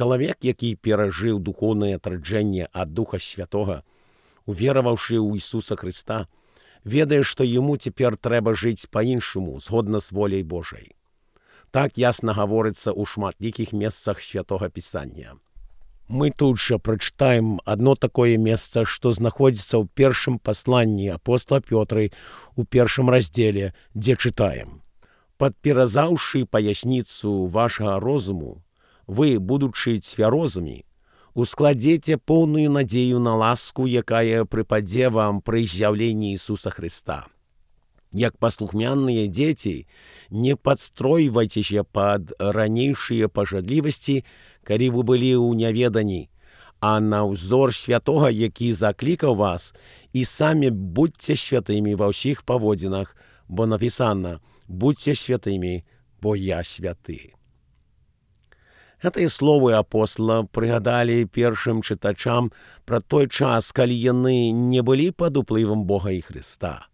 Чалавек, які перажыў духоўнае адраджэнне ад Духа Святога, увераваўшы ў Ісуса Хрыста, ведае, што яму цяпер трэба жыць па-іншаму, згодна з воляй Божай. Так ясна гаворыцца ў шматлікіх месцах Святога Пісання. Мы тут жа прачытаем адно такое месца, што знаходзіцца ў першым пасланні апостола Пётры ў першым раздзеле, дзе чытаем: «Падперазаўшы паясніцу вашага розуму, вы, будучы цвярозамі, ускладзеце поўную надзею на ласку, якая прыпадзе вам пры з'яўленні Ісуса Хрыста. Як паслухмяныя дзеці, не падстройвайцеся пад ранейшыя пажадлівасці, калі вы былі ў няведанні, а на ўзор святога, які заклікаў вас, і самі будьце святымі ва ўсіх паводзінах, бо напісана: будьце святымі, бо я святы». Гэтыя словы апостола прыгадалі першым чытачам пра той час, калі яны не былі пад уплывам Бога і Хрыста.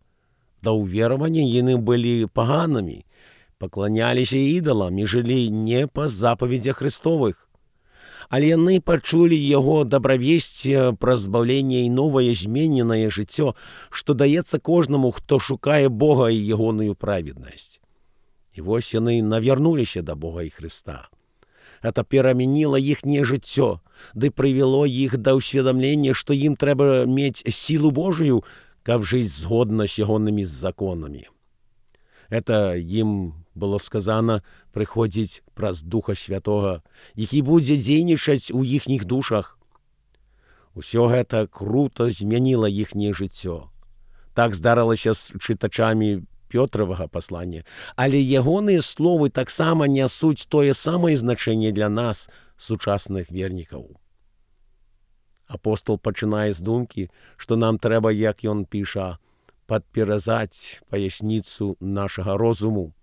Да ўверавання яны былі паганамі, пакланяліся ідалам і жылі не па запаведзях Христовых. Але яны пачулі яго дабравесце пра збаўленне і новае змененае жыццё, што даецца кожнаму, хто шукае Бога і ягоную праведнасць. І вось яны навярнуліся да Бога і Хрыста. Это перамяніла іхняе жыццё, ды прывяло іх да ўсведамлення, што ім трэба мець сілу Божую, каб жыць згодна з ягонымі законамі. Это ім было сказана прыходзіць праз Духа Святога, які будзе дзейнічаць у іхніх душах. Усё гэта крута змяніла іхняе жыццё. Так здарылася з чытачамі Пётравага паслання, але ягоныя словы таксама нясуць тое самае значэнне для нас, сучасных вернікаў. Апостол пачынае з думкі, што нам трэба, як ён піша, падперазаць паясніцу нашага розуму.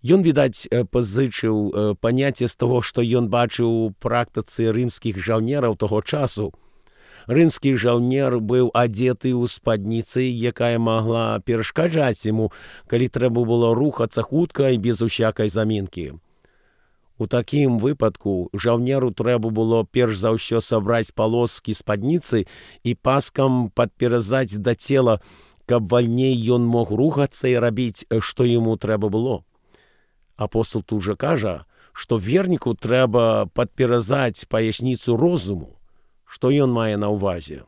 Ён, відаць, пазычыў паняцце з таго, што ён бачыў у практыцы рымскіх жаўнераў таго часу. Рымскі жаўнер быў адзеты ў спадніцы, якая магла перашкаджаць яму, калі трэба было рухацца хутка і без усякай замінкі. У такім выпадку жаўнеру трэба было перш за ўсё сабраць палоскі спадніцы і паскам падперазаць да цела, каб вальней ён мог рухацца і рабіць, што яму трэба было. Апостол тут жа кажа, што верніку трэба падперазаць паясніцу розуму. Што ён мае на ўвазе?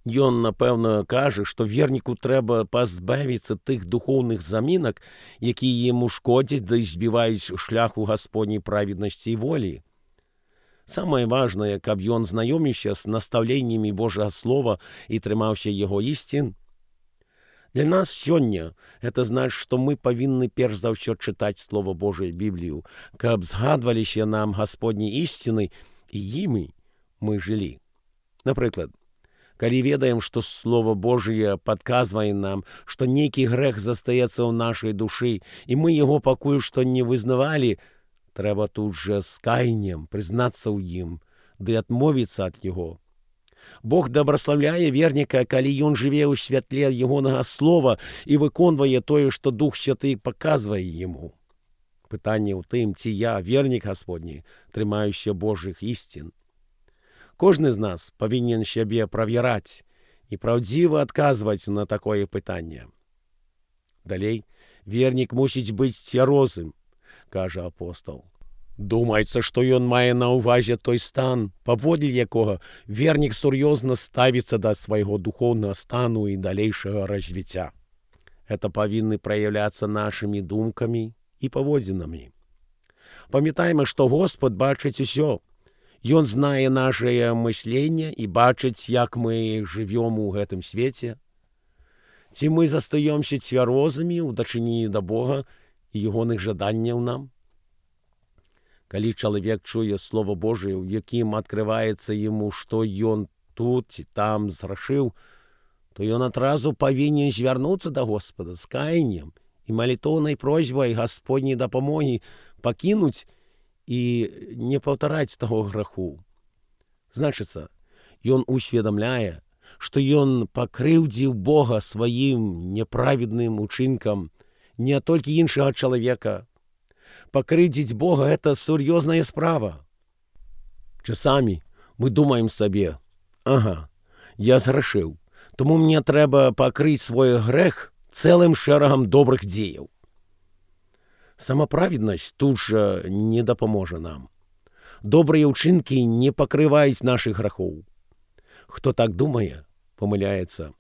Ён, напэўна, кажа, што верніку трэба пазбавіцца тых духоўных замінак, якія яму шкодзяць да збіваюць шляху Гасподняй праведнасці і волі. Самае важнае, каб ён знаёміўся з настаўленнямі Божага Слова і трымаўся яго ісцін. Для нас сёння гэта значыць, што мы павінны перш за ўсё чытаць Слова Божае, Біблію, каб згадваліся нам Гасподні ісціны і імі мы жылі. Напрыклад, калі ведаем, што Слова Божае падказвае нам, што нейкі грэх застаецца ў нашай душы, і мы яго пакуль што не вызнавалі, трэба тут жа з каяннем прызнацца ў ім, ды адмовіцца ад яго. Бог дабраслаўляе верніка, калі ён жыве ў святле ягонага слова і выконвае тое, што Дух Святы паказвае яму. Пытанне ў тым, ці я, вернік Гасподні, трымаюся Божых ісцін. Кожны з нас павінен сябе правяраць і праўдзіва адказваць на такое пытанне. Далей, вернік мусіць быць цвярозым, кажа апостол. Думаецца, што ён мае на ўвазе той стан, паводле якога вернік сур'ёзна ставіцца да свайго духоўнага стану і далейшага развіцця. Гэта павінны праяўляцца нашымі думкамі і паводзінамі. Памятайма, што Господ бачыць усё. Ён знае нашае мысленне і бачыць, як мы жывём у гэтым свеце. Ці мы застаёмся цвярозамі ў дачыненні да Бога і ягоных жаданняў нам? Калі чалавек чуе Слова Божае, у якім адкрываецца яму, што ён тут ці там зграшыў, то ён адразу павінен звярнуцца да Господа з каяннем і малітоўнай просьбай Гасподняй дапамогі пакінуць і не паўтараць таго граху. Значыцца, ён усведамляе, што ён пакрыўдзіў Бога сваім неправедным учынкам, не толькі іншага чалавека. Пакрыўдзіць Бога – гэта сур'ёзная справа. Часамі мы думаем сабе: ага, я зграшыў, тому мне трэба пакрыць свой грэх цэлым шэрагам добрых дзеяў. Самаправеднасць тут жа не дапаможа нам. Добрыя ўчынкі не пакрываюць нашых грахоў. Хто так думае, памыляецца.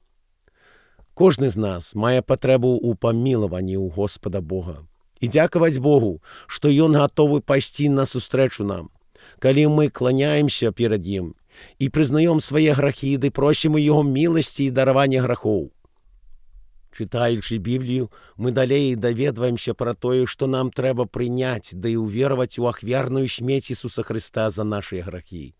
Кожны з нас мае патрэбу ў памілаванні ў Господа Бога. І дзякаваць Богу, што Ён гатовы пайсці насустрэчу нам, калі мы кланяемся перад Ім і прызнаём свае грахі ды просім у Яго міласці і даравання грахоў. Чытаючы Біблію, мы далей даведваемся пра тое, што нам трэба прыняць ды ўвераваць у ахвярную смерць Ісуса Хрыста за нашы грахі.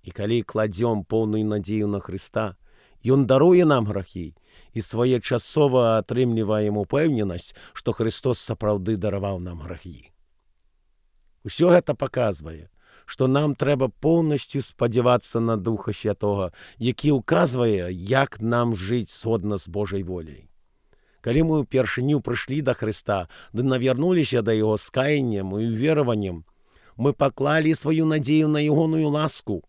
І калі кладзём поўную надзею на Хрыста, Ён даруе нам грахі і своечасова атрымліваем упэўненасць, што Христос сапраўды дараваў нам грахі. Усё гэта паказвае, што нам трэба поўнасцю спадзявацца на Духа Святога, які ўказвае, як нам жыць згодна з Божай воляй. Калі мы ўпершыню прыйшлі да Хрыста, ды навярнуліся да Яго з каяннем і ўвераваннем, мы паклалі сваю надзею на Ягоную ласку.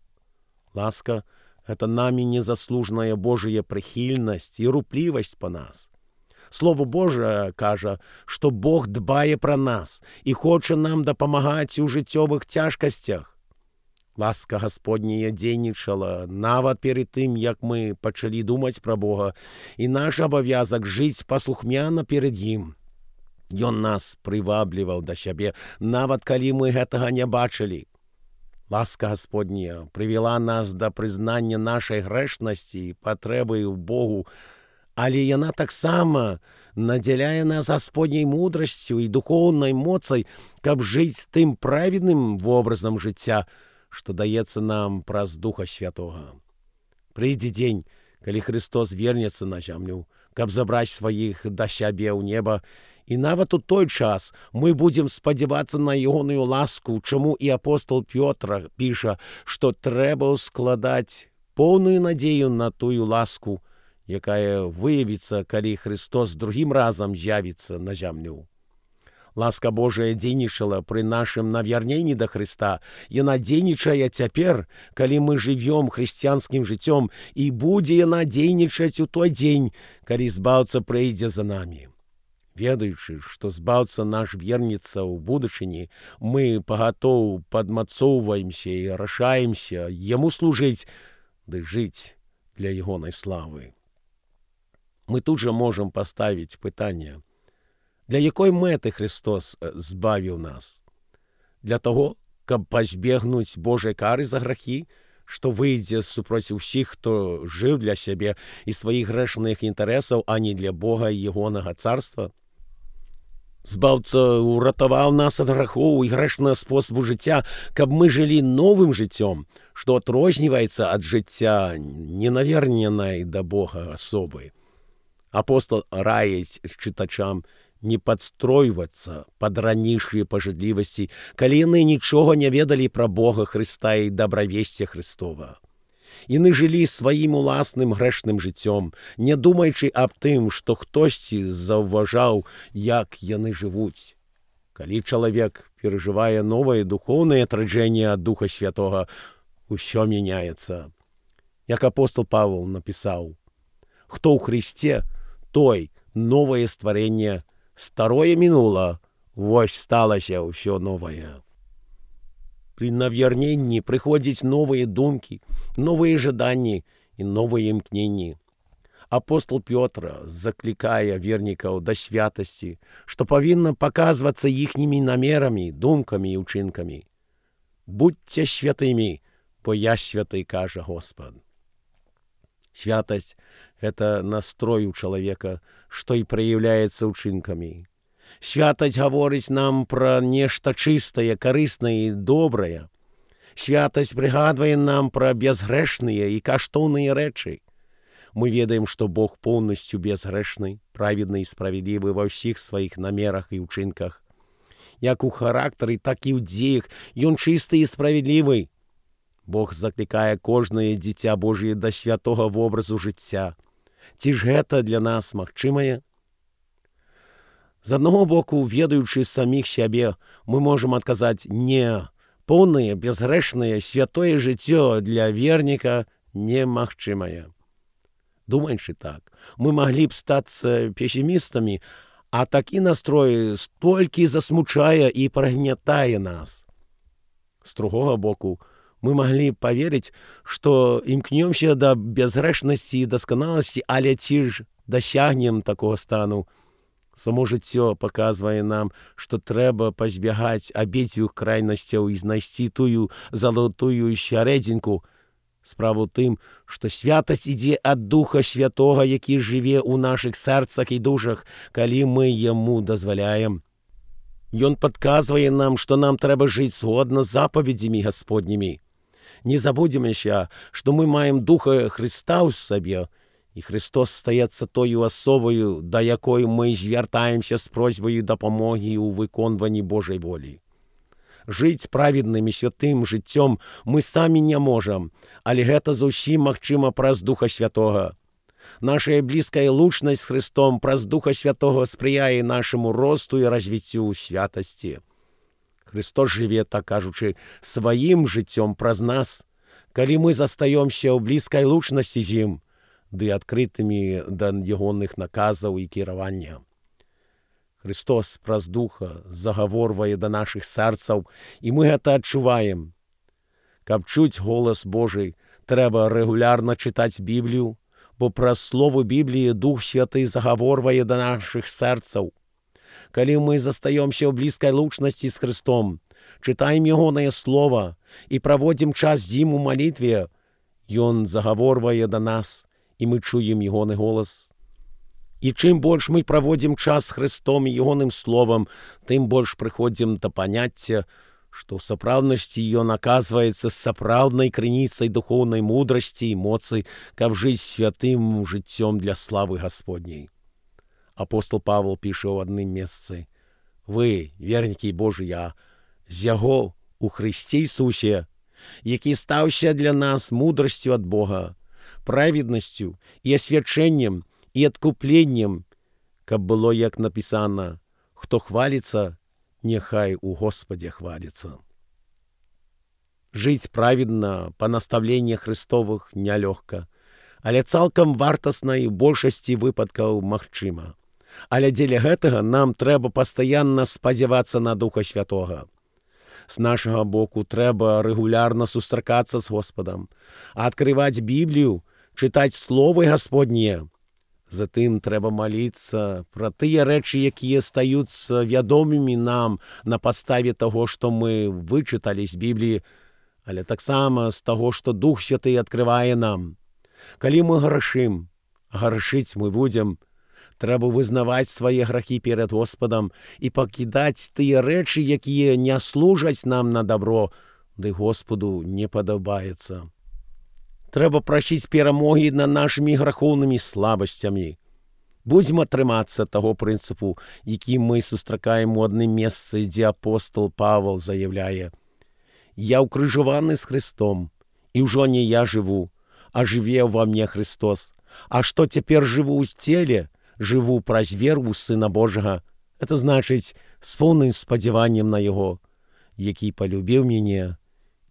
Ласка — гэта намі незаслужная Божая прыхільнасць і руплівасць па нас. Слово Божае кажа, што Бог дбае пра нас і хоча нам дапамагаць у жыццёвых цяжкасцях. Ласка Гасподняя дзейнічала нават перад тым, як мы пачалі думаць пра Бога, і наш абавязак жыць паслухмяна перад Ім. Ён нас прывабліваў да сябе, нават калі мы гэтага не бачылі. Ласка Гасподняя прывяла нас да прызнання нашай грэшнасці і патрэбы ў Богу, але яна таксама надзяляе нас Гасподняй мудрасцю і духоўнай моцай, каб жыць тым праведным вобразам жыцця, што даецца нам праз Духа Святога. Прыйдзе дзень, калі Христос вернецца на зямлю, каб забраць сваіх да сябе ў неба, і нават у той час мы будзем спадзявацца на Ягоную ласку, чаму і апостол Пётр піша, што трэба складаць поўную надзею на тую ласку, якая выявіцца, калі Христос другім разам з'явіцца на зямлю. Ласка Божая дзейнічала пры нашым навярненні да Хрыста. Яна дзейнічае цяпер, калі мы жывём хрысціянскім жыццём, і будзе яна дзейнічаць у той дзень, калі Збаўца прыйдзе за намі. Ведаючы, што Збаўца наш вернецца ў будучыні, мы пагатоў падмацоўваемся і рашаемся Яму служыць ды жыць для Ягонай славы. Мы тут жа можам паставіць пытанне: для якой мэты Христос збавіў нас? Для таго, каб пазбегнуць Божай кары за грахі, што выйдзе супроць усіх, хто жыў для сябе і сваіх грэшных інтарэсаў, а не для Бога і Ягонага царства? Збаўца ўратаваў нас ад грахоў і грэшнага спосабу жыцця, каб мы жылі новым жыццём, што адрозніваецца ад жыцця ненаверненай да Бога асобы. Апостол раіць чытачам не падстройвацца пад ранейшыя пажадлівасці, калі яны нічога не ведалі пра Бога, Хрыста і дабравесце Христова. Яны жылі сваім уласным грэшным жыццём, не думаючы аб тым, што хтосьці заўважаў, як яны жывуць. Калі чалавек перажывае новае духоўнае адраджэнне ад Духа Святога, усё мяняецца. Як апостол Павел напісаў: «Хто ў Христе, той новае стварэнне, старое мінула, вось сталася ўсё новае». Пры навярненні прыходзяць новыя думкі, новыя жаданні і новыя імкненні. Апостол Пётр заклікае вернікаў да святасці, што павінна паказвацца іхнімі намерамі, думкамі і ўчынкамі. «Будьце святымі, бо я святы», кажа Господ. Святасць — гэта настрой у чалавека, што і праяўляецца ўчынкамі. Святасць гаворыць нам пра нешта чыстае, карыснае і добрае. Святасць прыгадвае нам пра бязгрэшныя і каштоўныя рэчы. Мы ведаем, што Бог поўнасцю бязгрэшны, праведны і справядлівы ва ўсіх сваіх намерах і ўчынках. Як у характары, так і ў дзеях Ён чысты і справядлівы. Бог заклікае кожнае дзіця Божие да святога вобразу жыцця. Ці ж гэта для нас магчымае? З аднаго боку, ведаючы саміх сябе, мы можам адказаць «не», поўнае, бязгрэшнае, святое жыццё для верніка немагчымае. Думаючы так, мы маглі б стацца песімістамі, а такі настрой столькі засмучае і прагнятае нас. З другога боку, мы маглі паверыць, што імкнёмся да бязгрэшнасці і дасканаласці, але ці ж дасягнем такога стану? Само жыццё паказвае нам, што трэба пазбягаць абедзвюх крайнасцяў і знайсці тую залатую сярэдзінку. Справа ў тым, што святасць ідзе ад Духа Святога, які жыве ў нашых сэрцах і душах, калі мы яму дазваляем. Ён падказвае нам, што нам трэба жыць згодна з запаведзямі Гасподнімі. Не забудземся, што мы маем Духа Хрыста ў сабе, і Христос стаецца тою асобаю, да якой мы звяртаемся з просьбаю дапамогі ў выконванні Божай волі. Жыць праведным і святым жыццём мы самі не можам, але гэта зусім магчыма праз Духа Святога. Нашая блізкая лучнасць з Христом праз Духа Святога спрыяе нашаму росту і развіццю ў святасці. Христос жыве, так кажучы, сваім жыццём праз нас, калі мы застаёмся ў блізкай лучнасці з ім, ды адкрытымі да ягоных наказаў і кіравання. Христос праз Духа загаворвае да нашых сэрцаў, і мы гэта адчуваем. Каб чуць голас Божий, трэба рэгулярна чытаць Біблію, бо праз слово Бібліі Дух Святы загаворвае да нашых сэрцаў. Калі мы застаёмся ў блізкай лучнасці з Христом, чытаем ягонае слово і праводзім час з ім у малітве, ён загаворвае да нас, і мы чуем ягоны голас. І чым больш мы праводзім час з Христом і ягоным словам, тым больш прыходзім да паняцця, што ў сапраўднасці ён аказваецца сапраўднай крыніцай духоўнай мудрасці і моцы, каб жыць святым жыццём для славы Гасподняй. Апостол Павел піша ў адным месцы: «Вы, вернікі Божыя, з яго у Христе Ісусе, які стаўся для нас мудрасцю ад Бога, праведнасцю і асвячэннем, і адкупленнем, каб было, як напісана: хто хваліцца, няхай у Господе хваліцца». Жыць праведна па наставленнях Христовых нялёгка, але цалкам вартасна і ў большасці выпадкаў магчыма. Але дзеля гэтага нам трэба пастаянна спадзявацца на Духа Святога. З нашага боку трэба рэгулярна сустракацца з Господам, адкрываць Біблію, чытаць словы Гасподнія. Затым трэба маліцца пра тыя рэчы, якія стаюцца вядомымі нам на падставе таго, што мы вычыталі з Бібліі, але таксама з таго, што Дух Святы адкрывае нам. Калі мы грашым, грашыць мы будзем, трэба вызнаваць свае грахі перад Господам і пакідаць тыя рэчы, якія не служаць нам на дабро, ды Господу не падабаецца. Трэба прасіць перамогі над нашымі грахоўнымі слабасцямі. Будзем атрымацца таго прынцыпу, які мы сустракаем у адным месцы, дзе апостол Павел заяўляе: «Я ўкрыжаваны з Христом, і ўжо не я жыву, а жыве ўва мне Христос. А што цяпер жыву ў целе, жыву праз веру ў Сына Божага, это значыць з поўным спадзяваннем на Яго, які палюбіў мяне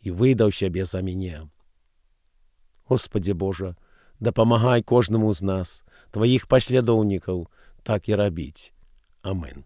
і выдаў сябе за мяне». Господи Боже, дапамагай кожнаму з нас, Тваіх паслядоўнікаў, так і рабіць. Амин.